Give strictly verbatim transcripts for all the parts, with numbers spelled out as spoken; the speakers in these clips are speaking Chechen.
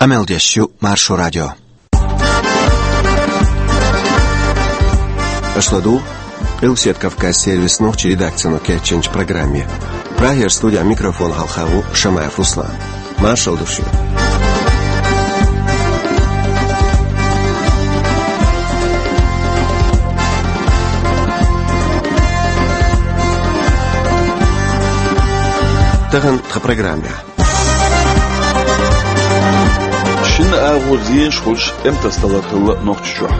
Къамел деш ю Маршо радио. Аша ладугӀу Къилбседа Кавказ сервисан нохчийн редакцино кечйинчу программе. Прагера студин микрофона хьалха ву Шамаев Руслан. Маршалла ду шуьга. Тахана тхан программехь. Шина агӀор зенаш хуьлуш тӀемтасадалар хилла Нохчийчохь.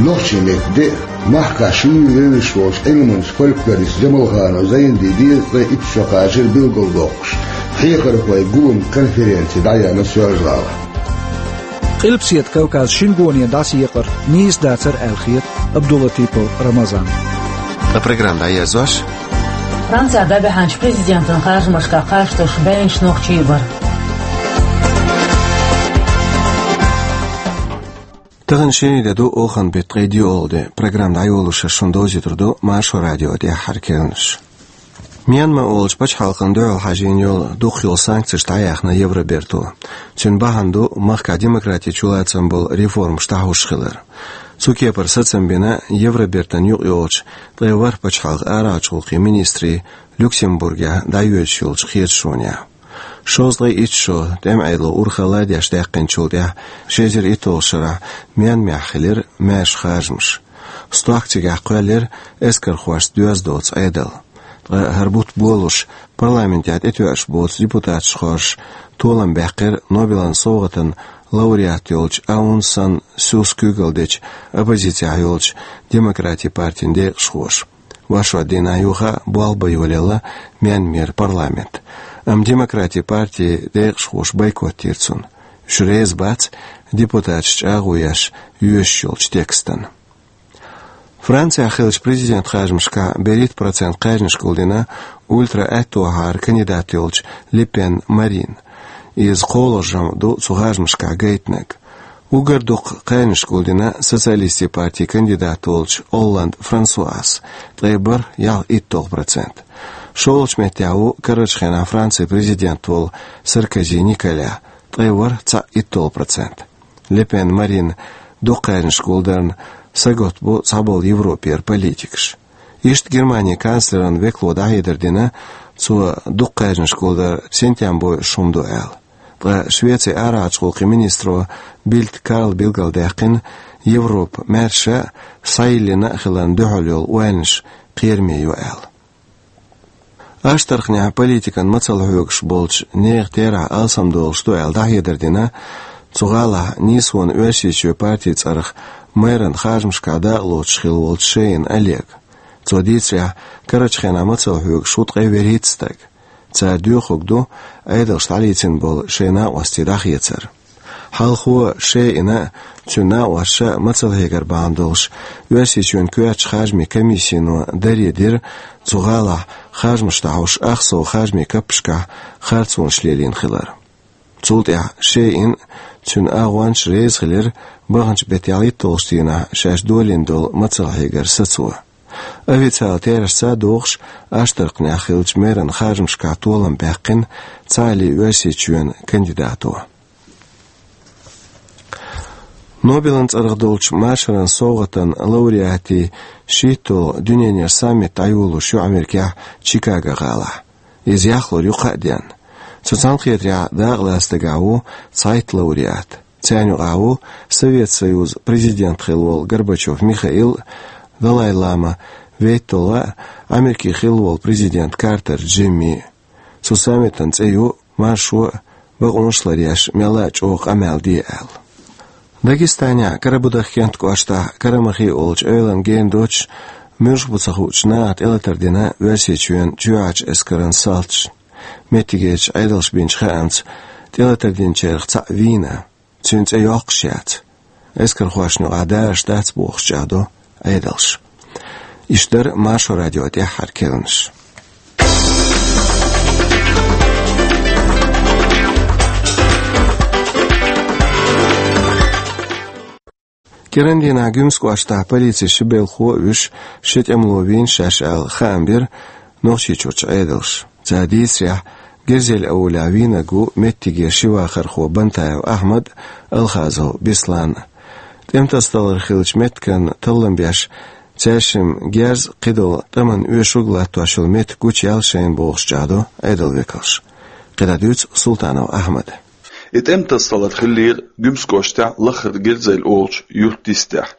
Нохчийн меттан де а, махкахь шуьйра евзаш волчу Ӏилманчу фольклористу Джамалханов Зайнди дезткъе итт шо кхачар билгалдоккхуш, хьехархойн гулам-конференци дӀаяьхьна Соьлжа-ГӀалахь. Къилбседа Кавказ шина гоне дӀасаекъар нийса дацара аьлла хета Абдулатипов Рамазанна. Ткъа программа дӀаерзош. Францехь дӀабаьхьначу президентан харжамашкахь кхаж тосуш баьхкинарш нохчий бара. Тахана шина де ду, олханан беттан ткъе диъалгӀа де. Программа дӀайолош шуна довзуьйтур ду Маршо радион тӀаьххьара керланаш. Мьянма олучу пачхьалкхана дуьхьал хьажийна йолу дукхах йолу санкцеш дӀаяьхьна Евроберто. Цуьнан бахьана ду махкахь демократи чулацам болу реформаш дӀахьуш хилар. Цу кепара сацам бина Евробертан юкъайолчу ткъе ворхӀ пачхьалкхан арахьарчу гӀуллакхийн министрийн Люксембургехь дӀайоьдуш йолчу кхеташонехь. Шовзткъе итт шо тӀеман Ӏедало урхалла а деш даьккхинчул тӀаьхьа, ши эзар итталгӀачу шарахь Мьянмехь хилира маьрша харжамаш. Стохка цигахь кхоьллира эскархошца доьзна доцу Ӏедал. Ткъа хӀара бутт болуш, парламентехь тӀетоьуш боцу депутаташ хоржуш, толам баьккхира Нобелан совгӀатан лауреат йолчу Аун Сан Сюс куьйгалла дечу оппозицехь йолчу Демократийн партин декъашхоша. Вайшимма дийнахь юха болх бан йолаелла Мьянмеран парламент. Амма Демократийн партин декъашхоша бойкот йира цунна. Уьш реза бац депутаташ чӀагӀо еш йоьшуш йолчу текстана. Францехь хиллачу президентан харжамашкахь берхӀитта процент кхаьжнаш гулдина ультра-аьттехьара кандидат йолчу Ле Пен Марина. Иза кхоалгӀа жамӀ ду цу харжамашкахь гайтинарг. Уггар дукха кхаьжнаш гулдина Социалистийн партин кандидат волчу Олланд Франсуас, ткъе бархӀ ялх итталгӀа процент. ШолгӀачу меттехь ву карарчу хенахь Францин президент волу Саркози Николя, ткъе ворхӀ цхьаъ итталгӀа процент. Ле Пен Марина дукха кхаьжнаш гулдарна сагатбо цхьаболу Европера политикаш. Иштта Германин канцлеран векало дӀахьедар дина, цо дукха кхаьжнаш гулдар синтем бойуш хӀума ду аьлла. Ткъа Швецин арахьарчу гӀуллакхийн министро Бильд Карла билгалдаьккхина, Европа маьрша а, схьайиллина а хиларна дуьхьал йолу ойланаш кхераме ю аьлла. Аштархнехь политикан мацалла хьоьгуш болчу нехан терахь алсамдолуш ду аьлла дӀахьедар дина цу гӀалахь нийсонан Оьрсийчоьнан партин цӀарах мэран харжамашкахь дакъалоцуш хилла волчу Шейн Олега. Цо дийцарехь, карарчу хенахь мацалла хьоьгуш ву ткъе ворхӀитта стаг. Цара доьхург ду Ӏедалша дӀалецна болу шайн накъостий дӀахецар. Хьалхо Шейна а, цуьнан накъосташа а мацалла хьегар бахьана долуш, Оьрсийчоьнан коьртачу харжамийн комиссино даре дира цу гӀалахь харжамаш дӀахьош ахсо харжамийн каппашкахь харцонаш лелийна хилар. Цул тӀаьхьа Шейн а, цуьнан агӀончаш а реза хилира баханчу беттан ялхитталгӀачу дийнахь шаьш долийна долу мацалла хьегар сацо. Официалан терахьашца а догӀуш, Аштархнехь хиллачу мэран харжамашкахь толам баьккхина цхьааллин Оьрсийчоьнан кандидато. Нобелан цӀарах долчу машаран совгӀатан лауреатийн шийтталгӀа дуьненан саммит дӀайолош ю Америкехь Чикаго гӀалахь. Иза яхлур ю кхаа денна. Цу цхьаьнакхетарехь дакъалаца дагахь ву цхьайтта лауреат. Царна юкъахь ву Совет Союзан президент хилла волу Горбачев Михаил, Далай-лама вейтталгӀа а, Америкин хилла волу президент Картер Джимми. Цу саммитан цӀе ю «Маршо а, бакъонаш а ларъеш, мелла а чӀогӀа къамел де» аьлла. Дагестанехь Карабудахкентан кӀоштахь Карамахи олучу эвлана гена доцуш, муьлш бу ца хуучу наха тӀелатар дина Оьрсийчоьнан чоьхьарчу эскаран салташна. Меттигерчу Ӏедалша бинчу хаамца, тӀелатар динчарах цхьаъ вийна. Цуьнан цӀе йоккхуш яц. Эскархошна юкъахь дараш дац бохуш чӀагӀдо Ӏедалша. Иштта дара Маршо радион тӀаьххьара керланаш. КӀирандийнахь Гуьмсан кӀоштахь полицин ши белхало а вуьш, ши тӀемало вийна шаьш аьлла хаам бира Нохчийчуьрчу Ӏедалша. Цара дийцарехь, Герзель-Эвлахь вийнарг ву меттигера ши вахархо Бантаев Ахьмад а, Алхазов Беслан а. ТӀем тасадалар хиллачу меттиган таллам беш, цаьршимма герз а, кхидолу тӀамна оьшург а латтош йолу меттиг гучуяьлла шайна бохуш чӀагӀдо Ӏедалан векалша. КхидӀа дуьйцу Султанов Ахьмада. И тӀем тасадалар хиллера Гуьмсан кӀоштехь Лахара Герзель олучу юьртан йистехь.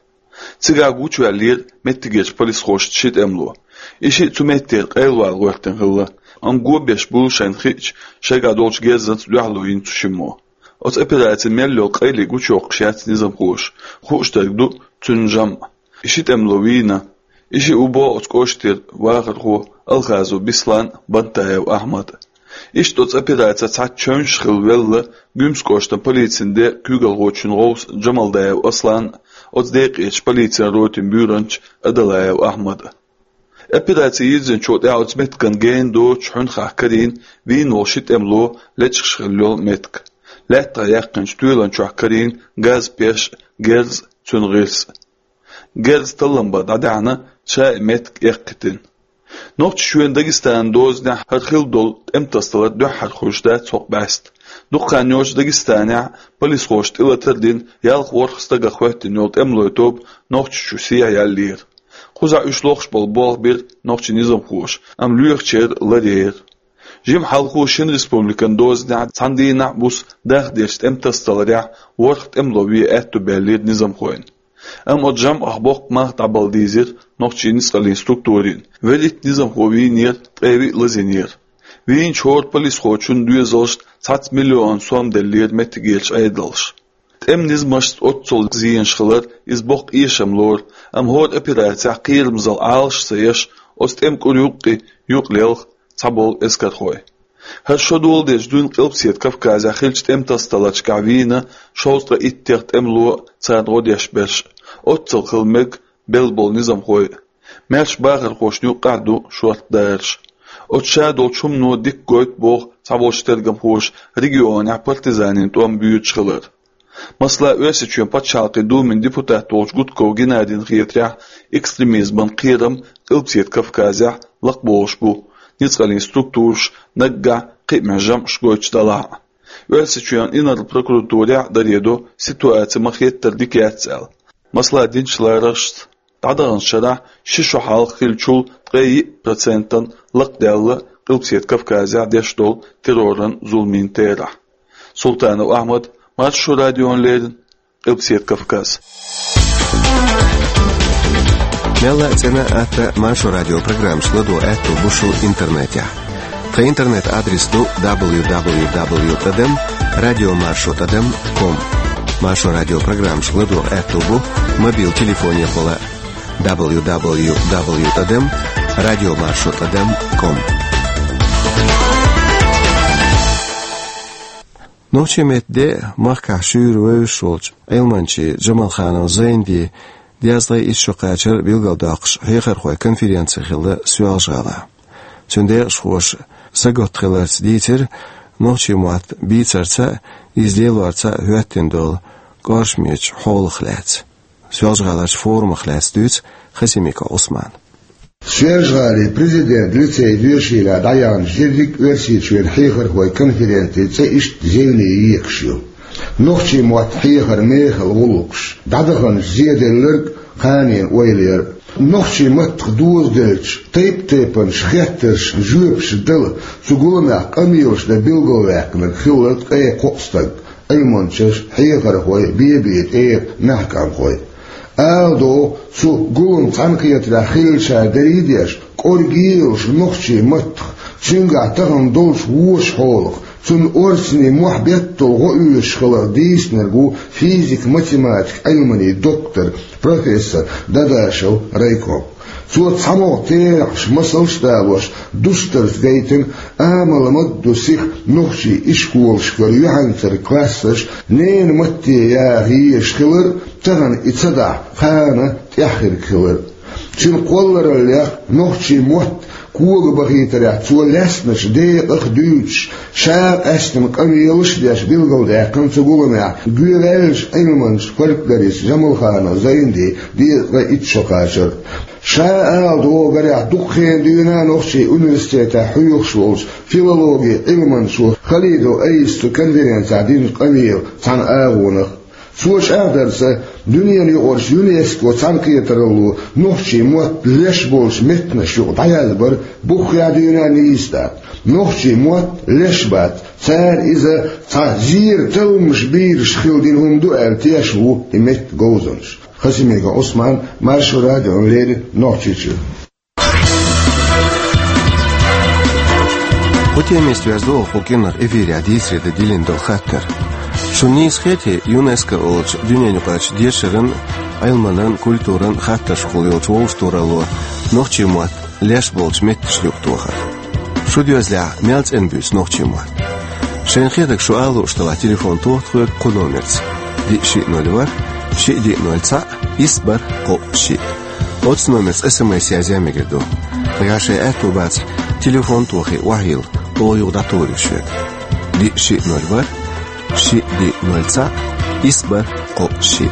Цигахь гучуваьллера меттигерчу полисхошца ши тӀемало. И шиъ цу меттера къайлавала гӀоьртина хилла, амма го беш буьйлу шайна хиъча, шайгахь долчу герзаца дуьхьало йина цу шиммо. Оцу операцин мел йолу къайле гучуйоккхуш яц низамхоша, хууш дерг ду цуьнан жамӀ. И ши тӀемало вийна. И шиъ ву боху оцу кӀоштера вахархо Алхазов Беслан а, Бантаев Ахьмад а. Иштта оцу операцехь цхьацца чевнаш хилла велла Гуьмсан кӀоштан полицин де куьйгалхочун гӀовс Джамалдаев Аслан а, оцу декъечу полицин ротин буьйранча Адалаев Ахьмад а. Операци йирзинчул тӀаьхьа оцу меттиган гена доцуш хьуьнхахь карийна вийна волу ши тӀемало лечкъаш хилла йолу меттиг. Лаьттах яьккхинчу тоьлан чохь карийна газ, пеш а, герз а, цуьнан гӀирс а. Герз таллам бан дӀадаьхьна, ша и меттиг эккхийтина. Нохчийчоьнан, Дагестанан дозанехь хӀара хилла долу тӀем тасадалар дуьххьара хуьлуш дац хӀокху бӀаьста. Дукха хан йоццуш Дагестанехь полисхоша тӀелатар а дина, ялх-ворхӀ стагах хӀоьттина йолу тӀемалойн тоба Нохчийчу сехьа яьллера. Кхузахь уьш лохуш болу болх бира нохчийн низамхоша, амма лоьхучеран ларъяра. Жимма хьалха шина республикан дозанехь цхьана дийнахь а, буса дахдерчу тӀем тасадаларехь ворхӀ тӀемало вен аьтто баьллера низамхойн. Амма оцу жамӀах боккха мах дӀабала дийзира нохчийн ницкъаллин структурийн. Велитта низамхо вийнера, ткъе виъ лазийнера. Вийначу хӀора полисхочун доьзалшна цхьацца миллион сом деллера меттигерчу Ӏедалша. ТӀеман низамашца оццул зенаш хилар иза боккха эшам лору, амма хӀора операцехь кхерамзалла Ӏалаш а ца еш, оцу тӀеман кӀур юккъе юкъ лелха цхьаболу эскархой. ХӀара шо доладелча дуьйна Къилбаседа Кавказехь хиллачу тӀем тасадаларшкахь вийна шовзткъе иттех тӀемало а, царна гӀо деш берш а, оццул хила мега белла болу низамхой а. Маьрша бахархошна юккъехь а ду шортта дараш. Оцу ша долчу хӀумано дика гойту боху цхьаболчу тергамхоша регионехь партизанийн тӀом боьдуш хилар. Масала, Оьрсийчоьнан пачхьалкхийн Думин депутат волчу Гудков Геннадина хетарехь, экстремизман кхерам Къилбаседа Кавказехь лакхаболуш бу, ницкъаллин структураш наггахь кхиамехь жамӀаш гойтуш делахь а. Оьрсийчоьнан инарла прокуратурехь а даре до, ситуаци ма-хеттара дика яц аьлла. Масала, динчу лараршца, дӀадаханчу шарахь ши шо хьалха хиллачул ткъе йиъ процентана лакхадаьлла Къилбаседа Кавказехь деш долу терроран зуламийн терахь. Султанов Ахьмад, Маршо радиона леррина, Къилбаседа Кавказ. Мелла а цӀена а, атта а Маршо радион программашка ладогӀа аьтто бу шун интернетехь. Тхан интернет-адрес ду дабл ю дабл ю дабл ю тӀадам радио маршо тӀадам ком. Маршо радион программашка ладогӀа аьтто бу мобил телефонехула дабл ю дабл ю дабл ю тӀадам радио маршо тӀадам ком. Нохчийн меттан де а, махкахь шуьйра вевзаш волчу Ӏилманчийн Джамалханов Зайндин дезткъе итт шо кхачар билгалдоккхуш хьехархойн конференци хилла Соьлжа-ГӀалахь. Цуьнан декъашхоша сагатта хиларца дийцира нохчийн мотт бийцарца а, иза лелорца а хӀоьттина долу кӀоршамечу хьолах лаьцна. Соьлжа-ГӀаларчу форумах лаьцна дуьйцу Хасимиков Ӏусмана. Соьлжа-ГӀалин президентан лицейн доьшийлахь дӀаяьхьначу дерриг а Оьрсийчоьнан хьехархойн конференцин цӀе иштта зевне екаш ю: «Нохчийн мотт хьехар: мехала гӀуллакхаш», «ДӀадаханчу зеделларг: кханенан ойла яр». Нохчийн маттах дозаделлачу тайп-тайпанчу хеттаршна жоьпаш дала, цу гуламехь къамелаш дан билгалваьккхинарг хилла ткъе кхоъ стаг: Ӏилманчаш, хьехархой, бен-бен тӀера маьхкамхой. Ала догӀу, цу гуламан цхьаьнакхетарехь хиллачара дерриг а деш, кӀорге а йолуш нохчийн маттах, цуьнгахь тахана долчу вочу хьолах, цунна орцанийн мохь беттал гӀо оьшуш хиларх дийцинарг ву физик-математикан Ӏилманийн доктор, профессор Дадашев Райком. Цо цхьамогӀа терахьаш, масалш а далош, дустарца гайтина, амал ма ду сиха нохчийн ишколашкара юьхьанцара классаш ненан матте яха езаш хилар, тахана и ца дахь, кхана тӀаьхьа хирг хилар. Цуьнан кхоллараллех, нохчийн мотт когабахийтарехь цо лаьцначу декъах а дуьйцуш, ша къаьстина къамелаш а деш билгалдаьккхина цу гуламехь гоьваьллачу Ӏилманча, фольклорист Джамалханов Зайндин дезткъе итт шо кхачар. Ша ала догӀу гарехь, дукха хенан дуьйна нохчийн университетехь хьоьхуш волчу филологин Ӏилманчо Халидов Айса цу конференцехь динчу къамелан цхьана агӀонах. Цо чӀагӀдарца, дуьненан юкъарчу ЮНЕСКО цхьаьнакхетаралло нохчийн мотт леш болчу меттанаш юкъа дӀаязбар буххехь дуьйна нийса дац. Нохчийн мотт леш бац, цара иза цхьа зеран талламаш бийраш хила дина хӀума ду аьлла тешна ву и меттан говзанчаш. Хасимиков Ӏусман, Маршо радиона леррина, Нохчийчуьра. Кху темист веза догӀу кху кӀиранах эфирехь дийцаре дан диллина долу хаттар. Шуна нийса хетий ЮНЕСКО олучу дуьненаюкъарчу дешаран, Ӏилманан, культуран хаттаршкахула йолчу вовшахтохаралло нохчийн мотт леш болчу меттанашна юкъа тохар? Шу доьзалехь мел цӀена буьйцу нохчийн мотт? Шайна хетарг шу ала лууш делахь, телефон тоха тхоьга кху номерца: диъ шиъ ноль ворхӀ, шиъ диъ ноль цхьаъ, исс бархӀ кхоъ шиъ. Оцу номерца СМС язъян мегар ду. Нагахь шайн аьтто бацахь, телефон тохий, охьайилла, оха юха дӀатухур ю шуьга. Диъ шиъ ноль ворхӀ, шиъ диъ ноль цхьаъ, исс бархӀ кхоъ шиъ.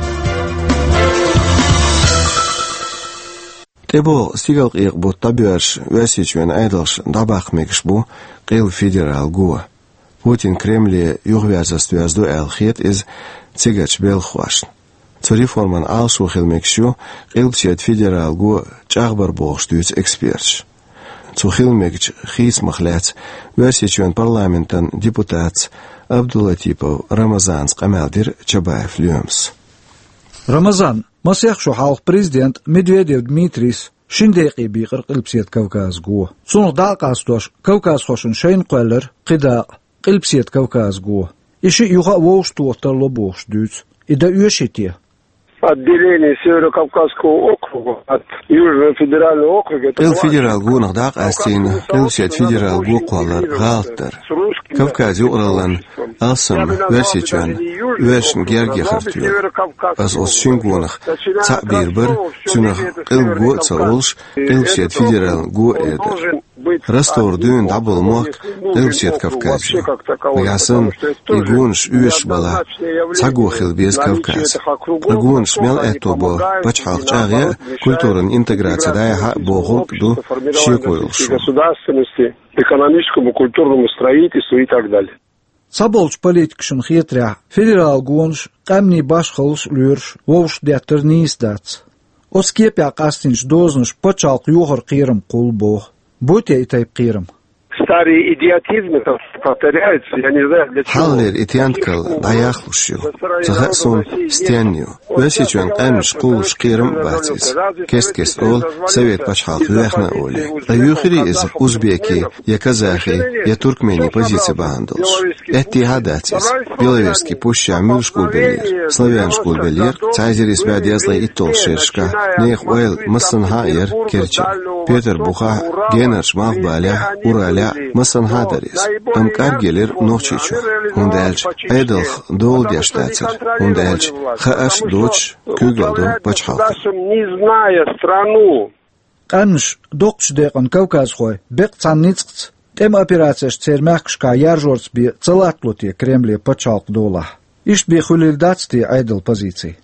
ТӀебогӀу стигалкъекъа бутт дӀабоьрзуш, Оьрсийчоьнан Ӏедалша дӀабаккха мегаш бу къилба федералан го. Путин Кремле юхаверзарца доьзна ду аьлла хета иза цигарчу белхахошна. Цу реформан Ӏалашо хила мегаш ю Къилбаседа федералан го чӀагӀбар бохуш дуьйцу эксперташа. Цу хила мегачу хийцамах лаьцна Оьрсийчоьнан парламентан депутатца Абдулатипов Рамазанца къамел дира Чабаев Лоьмас. Рамазан, масех шо хьалха президента Медведев Дмитрийс шина декъе бийкъира Къилбаседа Кавказан го. Цунах дӀа а къастош, кавказхошна шайна кхоьллира кхин дакъа, Къилбаседа Кавказан го. И шиъ юха а вовшахтоха тарло бохуш дуьйцу. И дан оьший те? Отделение Северо-Кавказского округа от Южного федерального округа — это... Къилба федералан гонах дӀа а къастийна, Къилбаседа федералан го кхоллар гӀалат дара. Кавказан юкъараллин алсам Оьрсийчоьнна оьшшна герга яхар тоьлу. Аса оцу шина гонах цхьаъ бийр бара, цунах Къилба го а ца олуш, Къилбаседа федералан го а эр дара. Ростовра дуьйна дӀаболу мохк Къилбаседа Кавказ ю. Нагахь санна и гонаш оьшуш балахь, цхьа го хила беза Кавказан. Ткъа гонаш мел аьтто бо пачхьалкх чӀагӀъян а, культуран интеграци дӀаяхьа а бохург а ду шеко йолуш. Государственности, экономическому, культурному строительству и так далее. Цхьаболчу политикашна хетарехь, федералан гонаш къаьмнийн башхаллаш а лоьруш вовшах деттар нийса дац. Оцу кепехь къастийначу дозанаша пачхьалкх йохаран кхерам кхуллу боху. Буй те и тайпа кхерам? Старый идиотизм это повторяется, я не знаю, для чего. Хьалхалера и тентакалла дӀаяхлуш ю. Ца хаьа суна, стенна ю. Оьрсийчоьнан къаьмнаш кхуллуш кхерам а бац иза. Кест-кеста олу, совет пачхьалкх вехна а олий. Ткъа юьйхирий иза узбекийн, я казахийн, я туркменийн позици бахьана долуш? Аьттехьа а дац иза. Беловежский пусчехь муьлш гулбеллера? Славянаш гулбеллера цхьа эзар исс бӀе дезткъе итталгӀачу шерашкахь. Нехан ойла массанхьа а яра Керчара. Петарбухахь а, Генарчу Малхбалехь а, Уралехь а массанхьа а дара иза. Амма кӀаргйелира Нохчийчохь, хӀунда аьлча Ӏедалх дола деш дацара, хӀунда аьлча хаарш а доцуш, куьйгалла ду пачхьалкхана. Государством, не зная страну. Къаьмнаш, доккхачу декъана кавказхой, беккъа цхьана ницкъаца, тӀеман операцеш церан мехкашкахь яржорца бен ца латтало те Кремле пачхьалкхан долахь? Иштта бен хуьлийла дац те Ӏедалан позици?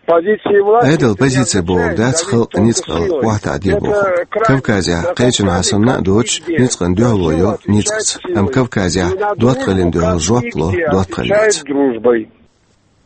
Позиции власти... Ӏедалан позици бохург дац халкъ ницкъала охьатаӀаде бохург. Кавказехь кхечанхьа санна а доцуш, ницкъана дуьхьало йо ницкъаца. Амма Кавказехь доттагӀаллина дуьхьал жоп ло доттагӀаллица.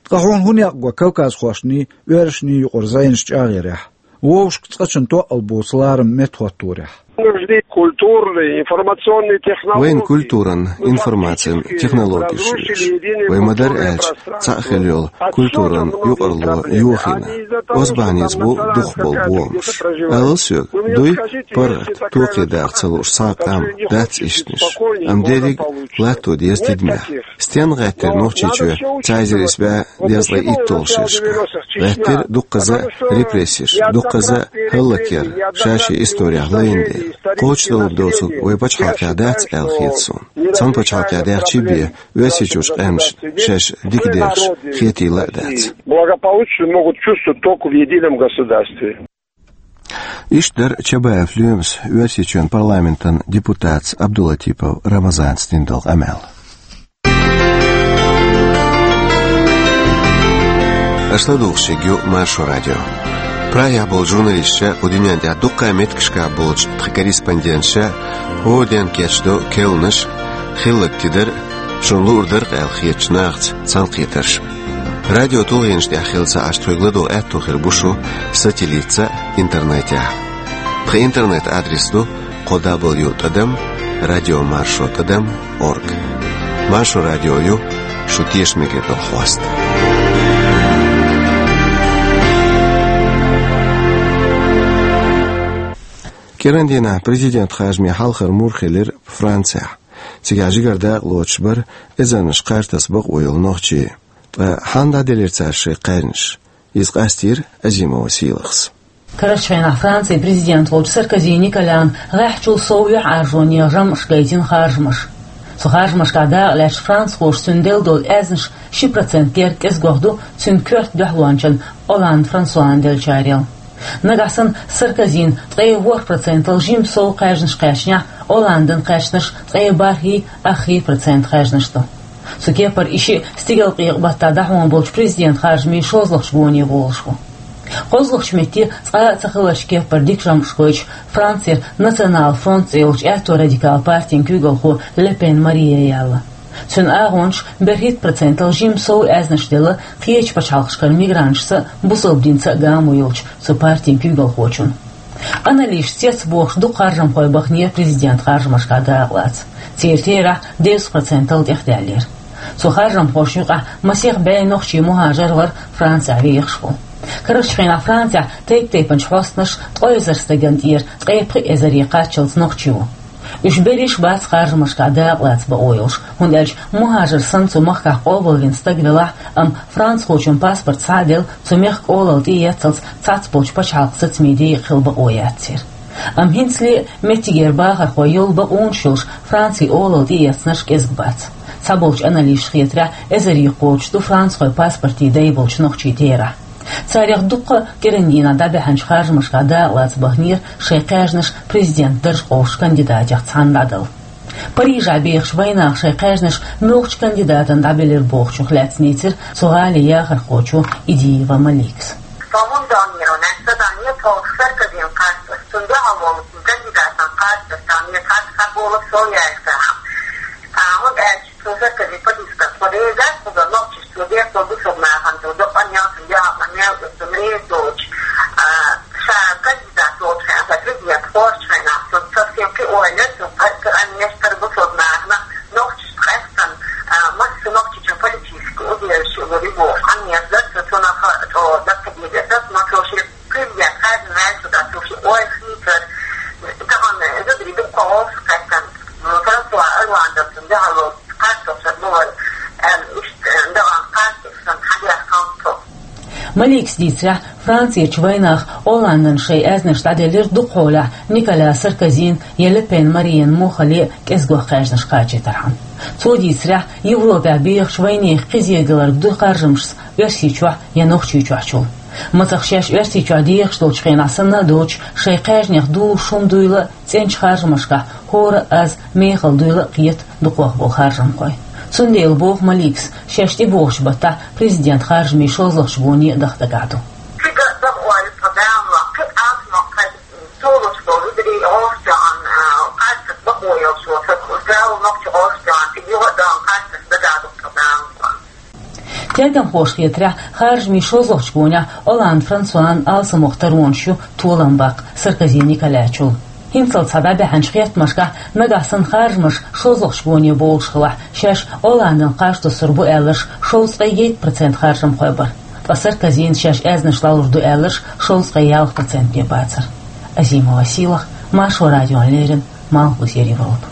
Ткъа хьуна хӀун некъ го кавказхошний, оьрсашний юкъара зӀенаш чӀагӀъярехь? Вовшашка цкъачунна тоъал боцу ларам меттахӀотторехь? Нужны культурные, информационные технологии. Вайна культуран, информацин технологеш ю вешан. Вай ма-дарра аьлча, цхьаъ хила йолу культуран юкъаралло йохийна. Оцу бахьаница бу дукхахболу бохамаш. Алал соьга, дуй, паргӀат, токхе даха ца лууш цхьа а къам, дац ишттанаш. Амма дерриг а латто деза тидамехь. Стенна гӀеттира Нохчийчоь цхьа эзар исс бӀе дезткъе итталгӀачу шерашкахь? ГӀеттира дуккхаза а репрессеш, дуккхаза а хӀаллакъяр ша-шен исторехь лайна дела. Кхочушдалар доцург вай пачхьалкхехь дац аьлла хета суна. Цхьана пачхьалкхехь даьхчий бен, Оьрсийчуьрчу къаьмнашна шаьш дика дехаш хетийла а дац. Благополучно могут чувствовать только в едином государстве. Иштта дара Чабаев Лоьмас Оьрсийчоьнан парламентан депутатца Абдулатипов Рамазанца дина долу къамел. Аша ладугӀуш ерг ю Маршо радио. Прагехь болчу журналисташа, кху дуьнен тӀехь дуккха а меттигашкахь болчу тхан корреспонденташа хӀора ден кечдо керланаш, хилларг тидар, шуна луург дар-кх аьлла хетачу нахаца цхьаьнакхетарш. Радио тулгӀенаш тӀехь хилла ца Ӏаш тхоьга ладогӀа аьтто хир бу шу сателлитца а, интернетехь а. Тхан интернет-адрес ду кхо дабл ю тӀадам радио маршо тӀадам орг. Маршо радио ю шу тешаме хиларна хьоста. КӀиран дийнахь президент харжамийн хьалхара мур хилира Францехь. Цигахь жигара дакъа лоцуш бара эзарнаш кхаж таса бакъо йолу нохчий. Ткъа хьанна дӀаделира цара шайн кхаьжнаш? Иза къастийра Азимова Сийлахьас. Карарчу хенахь Францин президент волчу Саркози Николян гӀеххьачул сов юьхьӀаьржонехь жамӀаш гайтина харжамаш. Цу харжамашкахь дакъа лаьцначу францхоша цуьнан делла долу аьзнаш ши процент дерг кӀезгох ду цуьнан коьрта дуьхьалончан Олланд Франсуан деллачарел. Нагахь санна Саркозин ткъе ворхӀ процентал жимма сов кхаьжнаш кхаьчнехь, Олландан кхаьчнарш ткъе бархӀий, аххий процент кхаьжнаш ду. Цу кепара и шиъ стигалкъекъа баттахь дӀахьон болчу президент харжамийн шозлагӀчу гоне волуш ву. КхозлагӀчу метте цкъа а ца хиларчу кепара дика жамӀаш гойтуш, Францера Национал фронт цӀе йолчу аьтто радикал партин куьйгалхо Ле Пен Мария яьлла. Цуьнан агӀончаша берхӀитта процентал жимма сов аьзнаш делла кхечу пачхьалкхашкара мигранташца а, бусалба динца а гамо йолчу цу партин куьйгалхочун. Анализаша цецбохуш дукха харжамхой баханера президент харжамашкахь дакъалаца. Церан терахь дезткъа процентал тӀехдаьллера. Цу харжамхошна юкъахь масех бӀе нохчий мухӀажар вара Францехь вехаш волу. Карарчу хенахь Францехь тайп-тайпанчу хьостанаша ткъе эзар стагана тӀера ткъе пхи эзаре кхаччалц нохчи ву. Уьш берриш а бац харжамашкахь дакъалаца бакъо йолуш, хӀунда аьлча мухӀажар санна цу махкахь къобалвина стаг велахь, амма францхочун паспорт схьа а делла, цу мехкан олалла тӀеэццалц цхьацболчу пачхьалкхан сацамийн декъа хила бакъо яц церан. Амма хӀинцале а меттигера бахархой йолу бакъонаш йолуш Францин олалла тӀеэцнарш кӀезиг бац. Цхьаболчу анализаша хетарехь, эзаре кхочуш ду францхойн паспортийн дай болчу нохчийн терахь. Царех дуккха а кӀиран дийнахь дӀабаьхьначу харжамашкахь дакъалаца баханера шайн кхаьжнаш президент дарж къовсучу кандидатех цхьаьна дӀадала. Парижехь бехачу вайнаха шайн кхаьжнаш муьлхачу кандидатана дӀабелира бохучух лаьцна дийцира цу гӀалин яхархочо Идиева Маликас. Со хӀунда даннера, нах ца данне, тхо Саркозин кхаччалц, цунна дуьхьал волу кандидатан кхаччалц, там нет, хьан, хьан болу со яьлла сахьа. А, хӀунда аьлча, цо Саркози политика тхо реза, кхуза нохчаш цо дехо бусурнахана цо докъан ял, цун яхьа мел, цун реза доцуш, а, ша кандидат волчу хенахь, ша президент кхочу хенахь, цунна совсем кхин ойла, цун кхайкхар, а, мехкара бусурнахана, нохчаш къаьстина, а, масса нохчичун политически убежище лур ю бохуш, а, меза, цо цунах, а, цо даккхадийр, эсас, но цо шен президент хазна ваьлла, цо шен ойла хийцар, тахана зударий дуккха гӀовса кхаьчна, Франсуа Олландов цунна дуьхьал волу кхаччалц бу вай, аьлла, иштта, дагӀан кхаччалц сан хьан деш хьалцо. Маликас дийцарехь, Францерчу вайнаха Олландана шайн аьзнаш дӀаделлира дукхахьолехь Николя Саркозин я Ле Пен Мариян муххале а кӀезгох кхаьжнаш кхачийтархьама. Цо дийцарехь, Европехь бехачу вайнехан кхизе даларг ду харжамашца Оьрсийчохь я Нохчийчохьчул. Мацах шаьш Оьрсийчохь дехаш долчу хенахь санна а доцуш, шайн кхаьжнех дузуш хӀума дуйла а, цӀеначу харжамашкахь хӀора а аз мехала дуйла а кхета дукхох болу харжамхой. Цундела боху Маликас, шаьш тӀебогӀучу баттахь президент харжамийн шозлагӀчу гоне а даха дагахь ду. Цига а даха ойла тхо Дала, кхин а алсамох кхайкхина, цо луш болу зударий гӀовшахьан, а, кхаччалц бакъо йолуш волу сан, Дала нохча гӀовшахьан, цига юха а догӀун кхаччалц дагахь ду тхо Дала. Тергамхоша хетарехь, харжамийн шозлагӀчу гонехь Олланд Франсуан алсамох таронаш ю толам баккха Саркози Николячул. ХӀинцалц схьа дӀабаьхьначу хеттамашкахь, нагахь санна харжамаш шозлагӀчу гоне бовлуш хилахь, шаьш Олландана кхаж туссур бу аьлларш шовзткъе итт процент харжамхой бара. Ткъа Саркозина шаьш аьзнаш лалур ду аьлларш шовзткъе ялх процент бен бацара. Азимова Сийлахь, Маршо радиона леррина, Малхбузера Европа.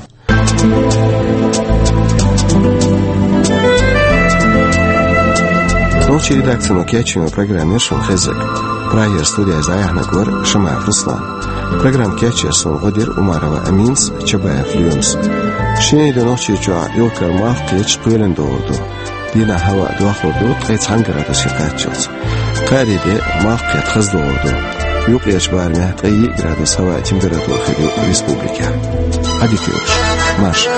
Нохчийн редакцино кечйина программа яра шуна хезнарг. Прагера студехь иза дӀаяьхьнарг вара Шамаев Руслан. Программа кечъеш суна гӀо дира Умарова Аминас, Чабаев Лоьмас. Шинарин де Нохчийчохь юхкара малх кхеташ кхоьлина догӀур ду. Дийнахь хӀаваъ дохлур ду ткъе цхьана градусе кхаччалц. Кхаарин де малх кхетта хаза догӀур ду. Юккъерчу барамехь ткъе йиъ градус хӀаваъ температура хир ю республикехь. Ӏадика йойла шун. Марша.